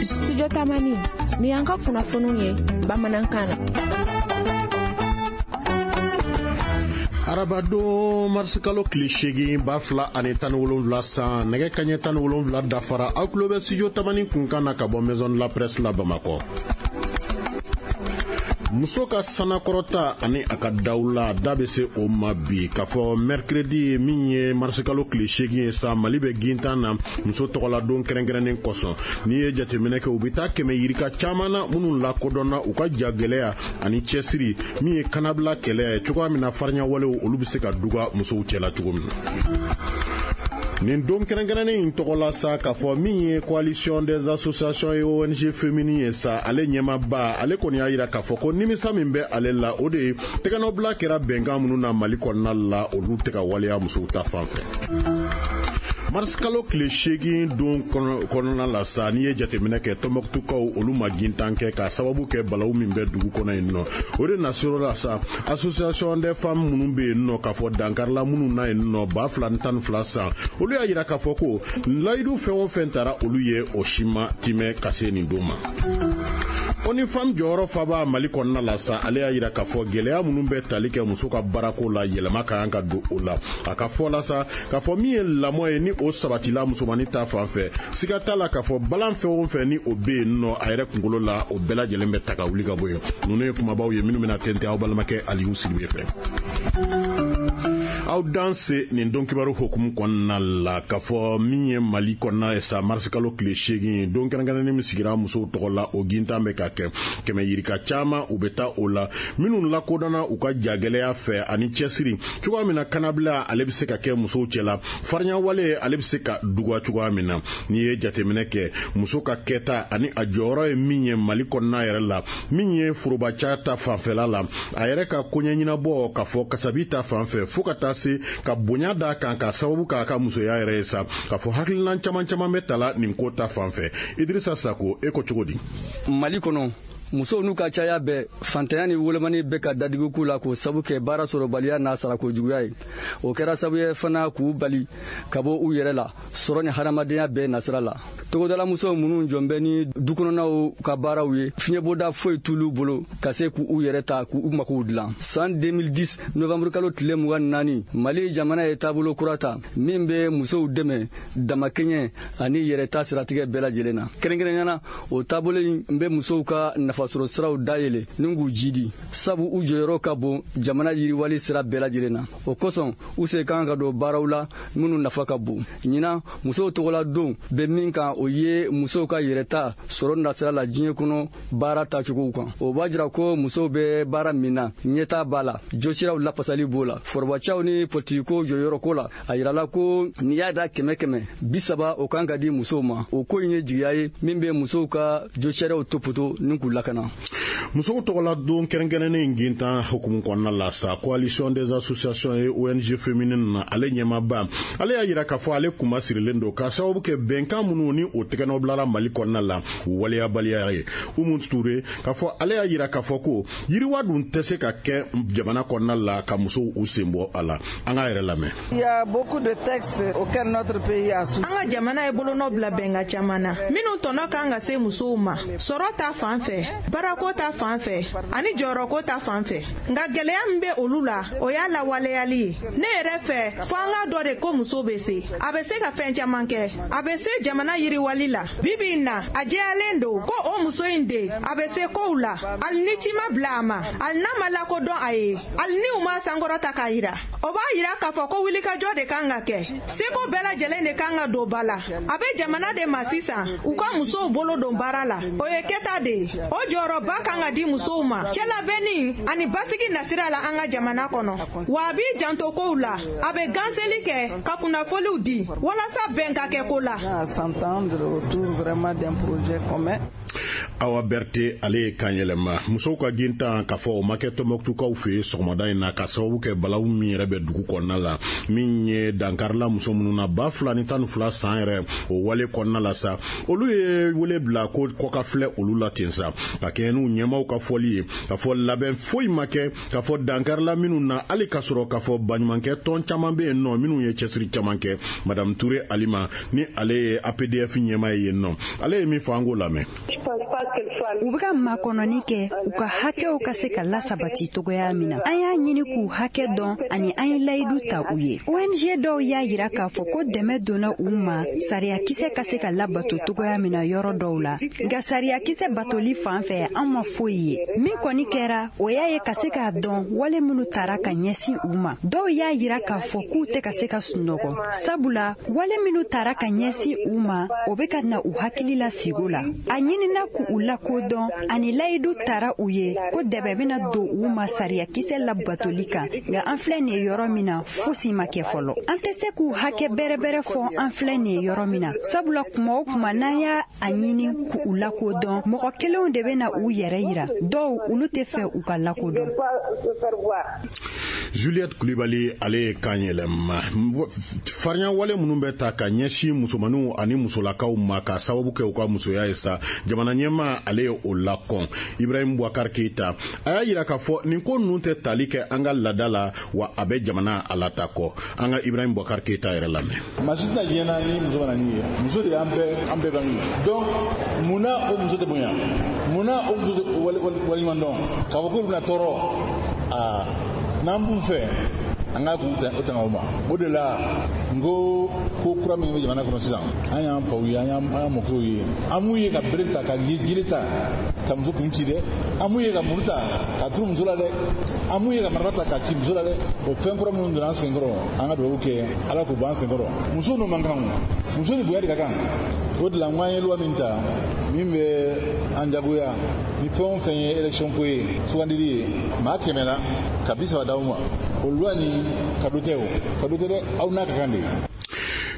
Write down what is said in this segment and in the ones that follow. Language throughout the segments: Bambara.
Studio Tamani, ni y'an ka kunnafoniw ye bamanankan na. Arabadon marisikalo tile 8 2017 san, nɛgɛ kaɲɛ 17 dafara, aw tulo bɛ studio Tamani kunkan na ka bɔ Maison de la Presse la Bamakɔ. Muso ka sanakɔrɔta ani a ka dawula da bɛ se o ma bi k'a fɔ mercredi min ye marisikalo tile 8 ye sa, Mali bɛ gintan na muso tɔgɔladon kɛrɛnkɛrɛnnen kosɔn. N'i ye jateminɛ kɛ, u bɛ taa 100 yirika caman na minnu lakodɔnna u ka jagɛlɛya ani cɛsiri min ye kanabila kɛlɛ ye cogoya min na farinyawalew olu bɛ se ka duga musow cɛla cogo min na. Nin don kɛrɛnkɛrɛnnen in tɔgɔ la sa, k'a fɔ min ye coalition des associations et ONG féminines ye sa, ale ɲɛmaaba ale kɔni y'a jira k'a fɔ ko nimisa min bɛ ale la, o de ye tɛgɛnɔbila kɛra bɛnkan minnu na Mali kɔnɔna la, olu tɛ ka waleya musow ta fan fɛ. Marisikalo tile 8 don kɔnɔna la sa, n'i ye jateminɛ kɛ, Tɔnbɔkutukaw olu ma gintan kɛ k'a sababu kɛ balawu min bɛ dugu kɔnɔ yen nɔ. O de nasira la sa, association des femmes minnu bɛ yen nɔ k'a fɔ dankarila minnu na yen nɔ 2012 san, olu y'a jira k'a fɔ ko layidu fɛn o fɛn tara olu ye, o si ma timɛ ka se nin don ma. ONU Femmes jɔyɔrɔ faba Mali kɔnɔna la sa, ale y'a jira k'a fɔ gɛlɛya minnu bɛ tali kɛ muso ka baarako la, yɛlɛma ka kan ka don o la. A ka fɔ la sa, k'a fɔ min ye lamɔ ye ni o sabatila musomannin ta fan fɛ, siga t'a la k'a fɔ balan fɛn o fɛn ni o bɛ yen nɔ a yɛrɛ kunkolo la, o bɛɛ lajɛlen bɛ ta ka wuli ka bɔ yen. Ninnu ye kumabaw ye minnu bɛna tɛntɛn aw balimakɛ Aliyu Sidibe fɛ. Aw danse nin don kibaru hukumu kɔnɔna la k'a fɔ min ye Mali kɔnɔna ye sa, marisikalo tile 8 don kɛrɛnkɛrɛnnen min sigira musow tɔgɔ la, o gintan bɛ ka kɛ 100 yirika caman u bɛ taa o la, minnu lakodɔnna u ka jagɛlɛya fɛ ani cɛsiri cogoya min na kanabila ale bɛ se ka kɛ musow cɛla, farinyawale ale bɛ se ka duga cogoya min na. N'i ye jateminɛ kɛ, muso ka kɛta ani a jɔyɔrɔ ye min ye Mali kɔnɔna yɛrɛ la, min ye forobaca ta fanfɛla la, a yɛrɛ ka koɲɛ ɲɛnabɔ k'a fɔ kasabi ta fan fɛ, fo ka taa se ka bonya d'a kan k'a sababu k'a ka musoya yɛrɛ ye sa, k'a fɔ hakilina caman caman bɛ tala nin ko ta fan fɛ. Idirisa Sako, e ko cogo di? Mali kɔnɔ, musow n'u ka caya bɛɛ, fantanya ni wolomani bɛ ka dadigi k'u la k'o sabu kɛ baara sɔrɔbaliya n'a sarako juguya ye. O kɛra sababu ye fana k'u bali ka bɔ u yɛrɛ la sɔrɔ ni hadamadenya bɛɛ nasira la. Togodalamusow minnu jɔn bɛ ni dukɔnɔnaw ka baaraw ye, fiɲɛbɔda foyi t'olu bolo ka se k'u yɛrɛ ta k'u makow dilan. San 2010 novembre kalo tile 24, Mali jamana ye taabolo kura ta min bɛ musow dɛmɛ damakɛɲɛ ani yɛrɛta siratigɛ bɛɛ lajɛlen na. Kɛrɛnkɛrɛnnenya na, o taabolo in bɛ musow ka nafasɔrɔ siraw dayɛlɛ ni k'u jidi, sabu u jɔyɔrɔ ka bon jamana yiriwali sira bɛɛ lajɛlen na. O kosɔn u sen kan ka don baaraw la minnu nafa ka bon. Ɲinan musow tɔgɔla don bɛ min kan, o ye musow ka yɛrɛta sɔrɔ nasira la diɲɛ kɔnɔ baara taacogow kan. O b'a jira ko musow bɛ baara min na, ɲɛtaa b'a la, josiraw lafasali b'o la. Forobacaw ni politikiko jɔyɔrɔko la, a yirala ko n'i y'a da 100 30, o kan ka di musow ma. O ko in ye jigiya ye min bɛ musow ka josiraw topoto ni k'u lakana. Musow tɔgɔla don kɛrɛnkɛrɛnnen gintan hukumu kɔnɔna la sa, coalition des associations et ONG féminines na, ale ɲɛmaaba ale y'a jira k'a fɔ ale kunma sirilen don k'a sababu kɛ bɛnkan minnu ni o tɛgɛnɔ bilara Mali kɔnɔna la waleyabaliya ye. Umu Ture k'a fɔ ale y'a jira k'a fɔ ko yiriwa dun tɛ se ka kɛ jamana kɔnɔna la ka musow u sen bɔ a la. An k'a yɛrɛ lamɛn. Il y a beaucoup de textes auxquels notre pays a souscrit. An ka jamana ye bolonɔ bila bɛnkan caman na minnu tɔnɔ kan ka se musow ma, sɔrɔ ta fan fɛ, baarako ta fan fɛ ani jɔyɔrɔko ta fan fɛ. Nka gɛlɛya min bɛ olu la, o y'a lawaleyali ye. Ne yɛrɛ fɛ, fo an k'a dɔn de ko muso bɛ se, a bɛ se ka fɛn caman kɛ, a bɛ se jamana yiriwali la. Bi bi in na, a jɛyalen don ko o muso in de a bɛ se kow la, hali ni ci ma bila a ma, hali n'a ma lakodɔn a ye, hali ni u ma sankɔrɔta k'a yira. O b'a yira k'a fɔ ko wulikajɔ de kan ka kɛ, seko bɛɛ lajɛlen de kan ka don ba la. A bɛ jamana de ma sisan u ka musow bolo don baara la, o ye kɛta de ye. O jɔyɔrɔba kan ka di musow ma cɛlabɛnni ani basigi nasira la an ka jamana kɔnɔ. Wa a b'i janto kow la, a bɛ ganseli kɛ ka kunnafoniw di walasa bɛn ka kɛ ko la. À s'entendre autour vraiment d'un projet commun. Awa Berthe, ale ye kan yɛlɛma. Musow ka gintan, k'a fɔ o ma kɛ Tɔnbɔkutukaw fɛ yen sɔgɔmada in na, ka sababu kɛ balawu min yɛrɛ bɛ dugu kɔnɔna la, min ye dankarila muso minnu na 2012 san yɛrɛ, o wale kɔnɔna la sa, olu ye wele bila ko kɔ ka filɛ olu la ten sa. Ka kɛɲɛ n'u ɲɛmaw ka fɔli ye, k'a fɔ labɛn foyi ma kɛ k'a fɔ dankarila minnu na, hali k'a sɔrɔ k'a fɔ baɲumankɛ tɔn caman bɛ yen nɔ minnu ye cɛsiri caman kɛ. Madame Ture Alima, ni ale ye APDF ɲɛmaa ye yen nɔ, ale ye min fɔ, an k'o lamɛn. U bɛ ka makɔnɔni kɛ u ka hakɛw ka se ka lasabati cogoya min na. An y'a ɲini k'u hakɛ dɔn ani an ye layidu ta u ye. ONG dɔw y'a yira k'a fɔ ko dɛmɛ donna u ma, sariyakisɛ ka se ka labato cogoya min na yɔrɔ dɔw la. Nka sariyakisɛ batoli fan fɛ, an ma foyi ye. Min kɔni kɛra, o y'a ye ka se k'a dɔn wale minnu tara ka ɲɛsin u ma. Dɔw y'a yira k'a fɔ k'u tɛ ka se ka sunɔgɔ, sabula wale minnu tara ka ɲɛsin u ma, o bɛ ka na u hakili la sigo la. A ɲinina k'u lakodɔn ani layidu tara u ye ko dɛmɛ bɛna don u ma sariyakisɛ labatoli kan. Nka an filɛ nin ye yɔrɔ min na, fosi ma kɛ fɔlɔ. An tɛ se k'u hakɛ bɛrɛbɛrɛ fɔ an filɛ nin ye yɔrɔ min na, sabula kuma o kuma n'an y'a a ɲini k'u lakodɔn, mɔgɔ kelenw de bɛ na u yɛrɛ yira, dɔw olu tɛ fɛ u ka lakodɔn. Juliette Kulibali, ale ye kan yɛlɛma. Farinya wale minnu bɛ ta ka ɲɛsin musomaninw ani musolakaw ma ka sababu kɛ u ka musoya ye sa, jamana ɲɛmaa, ale ye o lakɔn. Ibrahim Boubacar Keita, a y'a yira k'a fɔ nin ko ninnu tɛ tali kɛ an ka laada la, wa a bɛ jamana a la ta kɔ. An ka Ibrahim Boubacar Keita yɛrɛ lamɛn. Maa si tɛna diɲɛ na ni muso ma na n'i ye. Muso de y'an bɛɛ, an bɛɛ bange. Donc munna o muso tɛ bonya? Munna o muso tɛ waleɲuman dɔn k'a fɔ k'olu bɛna tɔɔrɔ? Aa, n'an b'u fɛ, an k'a k'u o tanga o ma. O de la n ko ko kura min bɛ jamana kɔnɔ sisan, an y'an faw ye, an y'an mɔkɛw ye, an m'u ye ka bere ta, ka jiri ta ka muso kun ci dɛ. An m'u ye ka muru ta ka turu muso la dɛ. An m'u ye ka marifa ta ka ci muso la dɛ. O fɛn kura minnu donna an senkɔrɔ, an ka dugawu kɛ Ala k'o bɔ an senkɔrɔ. Muso n'o man kan, o muso ni bonya de ka kan. O de la n ko an ye loi min ta min bɛ an jagoya, ni fɛn o fɛn ye élection ko ye, sugandili ye, maa 100 la ka 30 d'aw ma, o loi ni cadeau tɛ, o cadeau tɛ dɛ, aw n'a ka kan de.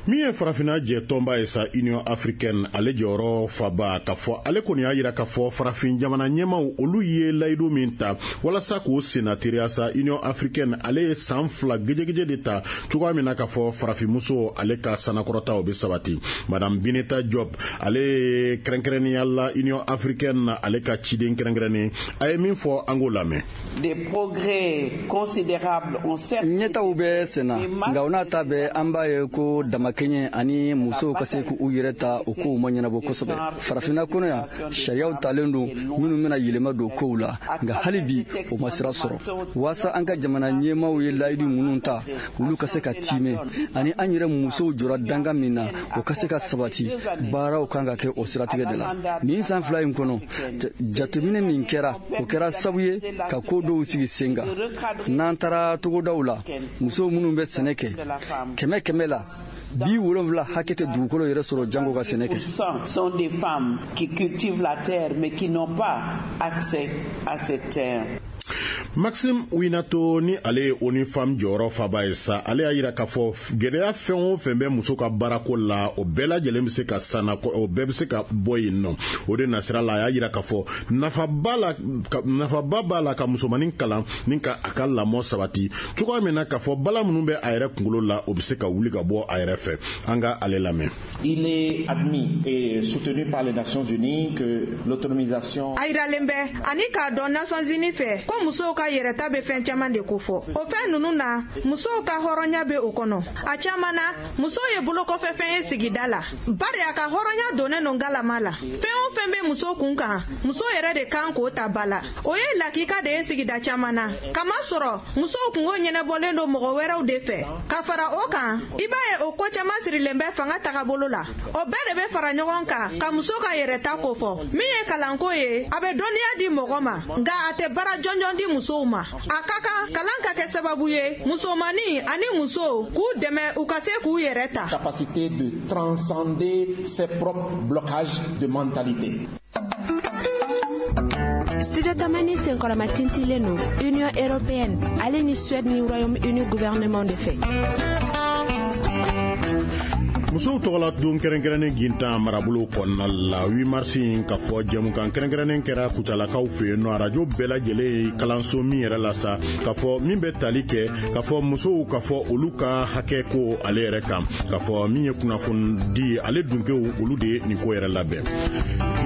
Min ye Farafinna jɛ tɔnba ye sa, Union africaine, ale jɔyɔrɔ faba, k'a fɔ ale kɔni y'a yira k'a fɔ farafin jamana ɲɛmaw, olu ye layidu min ta walasa k'o senna teriya sa, Union africaine, ale ye san 2 gejegeje de ta cogoya min na k'a fɔ farafinmuso, ale ka sanakɔrɔta, o bɛ sabati. Madame Bineta Diop, ale ye kɛrɛnkɛrɛnnenya la Union africaine, ale ka ciden kɛrɛnkɛrɛnnen, a ye min fɔ, an k'o lamɛn. Des progrès considérables ont certes Ɲɛtaw bɛ senna, nka o n'a ta bɛɛ, an b'a ye ko damakɛɲɛ ani musow ka se k'u yɛrɛ ta, o kow ma ɲɛnabɔ kosɛbɛ. Farafinna kɔnɔ yan, sariyaw talen don minnu bɛna yɛlɛma don kow la, nka hali bi o ma sira sɔrɔ. Waasa an ka jamana ɲɛmaaw ye layidu minnu ta, olu ka se ka tiimɛ, ani an yɛrɛ musow jɔra danga min na, o ka se ka sabati, baaraw kan ka kɛ o siratigɛ de la. Nin san 2 in kɔnɔ, jateminɛ min kɛra, o kɛra sabu ye ka ko dɔw sigi sen kan. N'an taara togodaw la, musow minnu bɛ sɛnɛ kɛ, 100 100 la, 70 hakɛ tɛ dugukolo yɛrɛ sɔrɔ jango ka sɛnɛ kɛ. Sont des femmes qui cultivent la terre mais qui n'ont pas accès à cette terre. Maxime Houinato, ni ale ye ONU Femmes jɔyɔrɔ faba ye sa, ale y'a yira k'a fɔ gɛlɛya fɛn o fɛn bɛ muso ka baarako la, o bɛɛ lajɛlen bɛ se ka sanna, o bɛɛ bɛ se ka bɔ yen nɔ. O de nasira la, a y'a yira k'a fɔ nafaba b'a la ka musomanin kalan ni ka a ka lamɔ sabati cogoya min na k'a fɔ bala minnu bɛ a yɛrɛ kunkolo la, o bɛ se ka wuli ka bɔ a yɛrɛ fɛ. An ka ale lamɛn. Il est admis et soutenu par les Nations Unies que l'autonomisation. A yiralen bɛ ani k'a dɔn Nations Unies fɛ ko musow ka yɛrɛta bɛ fɛn caman de kofɔ. O fɛn ninnu na, musow ka hɔrɔnya bɛ o kɔnɔ. A caman na, musow ye bolokɔfɛfɛn ye sigida la, bari a ka hɔrɔnya donnen don galama la. Fɛn o fɛn bɛ muso kun kan, muso yɛrɛ de kan k'o ta ba la. O ye lakika de ye sigida caman na, kamasɔrɔ musow kungo ɲɛnabɔlen don mɔgɔ wɛrɛw de fɛ. Ka fara o kan, i b'a ye o ko caman sirilen bɛ fanga tagabolo la. O bɛɛ de bɛ fara ɲɔgɔn kan ka muso ka yɛrɛta kofɔ. Min ye kalanko ye, a bɛ dɔnniya di mɔgɔ ma, nka a tɛ baara jɔnjɔn di musow ma. A ka kan kalan ka kɛ sababu ye musomannin ani musow k'u dɛmɛ u ka se k'u yɛrɛ ta. Capacité de transcender ses propres blocages de mentalité. Studio Tamani senkɔrɔma tintilen don Union européenne, ale ni Suède ni Royaume-Uni gouvernement de fɛ. Musow tɔgɔla don kɛrɛnkɛrɛnnen gintan marabolo kɔnɔna la 8 mars in, k'a fɔ jɛmukan kɛrɛnkɛrɛnnen kɛra Kucalakaw fɛ yen nɔ, arajo bɛɛ lajɛlen ye kalanso min yɛrɛ la sa, k'a fɔ min bɛ tali kɛ k'a fɔ musow, k'a fɔ olu ka hakɛ ko ale yɛrɛ kan, k'a fɔ min ye kunnafoni di ale dunkew, olu de ye nin ko yɛrɛ labɛn.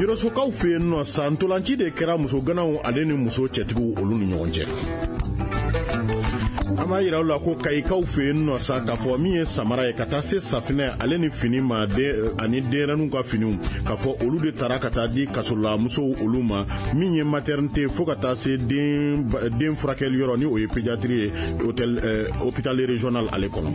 Yɔrɔsokaw fɛ yen nɔ sa, ntolanci de kɛra muso ganaw ale ni muso cɛtigiw olu ni ɲɔgɔn cɛ. An b'a yira u la ko Kayikaw fɛ yen nɔ sa, k'a fɔ min ye samara ye ka taa se safinɛ ale ni fini ma ani denyɛrɛninw ka finiw, k'a fɔ olu de taara ka taa di kasola musow olu ma, min ye maternité fo ka taa se den furakɛli yɔrɔ, ni o ye pédiatrie ye, hôtel hôpital régional ale kɔnɔ.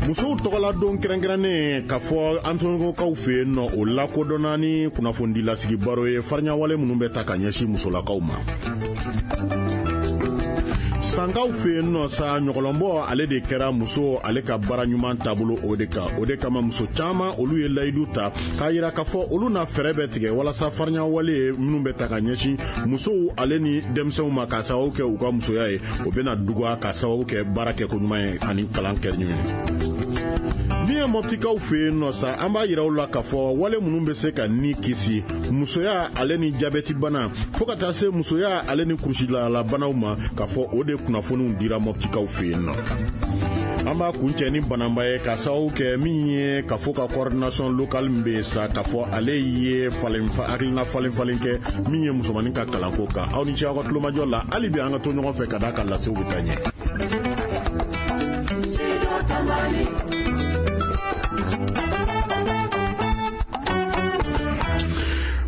Musow tɔgɔla don kɛrɛnkɛrɛnnen, k'a fɔ Ansongokaw fɛ yen nɔ, o lakodɔnna ni kunnafonidilasigi baro ye, fariɲawale minnu bɛ ta ka ɲɛsin musolakaw ma. Sankaw fɛ yen nɔ sa, ɲɔgɔlɔnbɔ ale de kɛra muso ale ka baara ɲuman taabolo o de kan. O de kama muso caman olu ye layidu ta k'a yira k'a fɔ olu na fɛɛrɛ bɛ tigɛ walasa fariɲawale minnu bɛ ta ka ɲɛsin musow ale ni denmisɛnw ma k'a sababu kɛ u ka musoya ye, o bɛna duguya k'a sababu kɛ baara kɛko ɲuman ye ani kalan kɛ ɲuman ye. Min ye Mɔptikaw fɛ yen nɔ sa, an b'a yira u la k'a fɔ wale minnu bɛ se ka ni kisi musoya ale ni jabɛti bana fo ka taa se musoya ale ni kurusilalabanaw ma, k'a fɔ o de kunnafoniw dira Mɔptikaw fɛ yen nɔ. An b'a kuncɛ ni Bananba ye, k'a sababu kɛ min ye ka fɔ ka coordination locale min bɛ yen sa, k'a fɔ ale ye falen hakilina falen falen kɛ min ye musomanin ka kalanko kan. Aw ni ce aw ka tulomajɔ la. Hali bi an ka to ɲɔgɔn fɛ ka d'a kan lasew bɛ taa ɲɛ.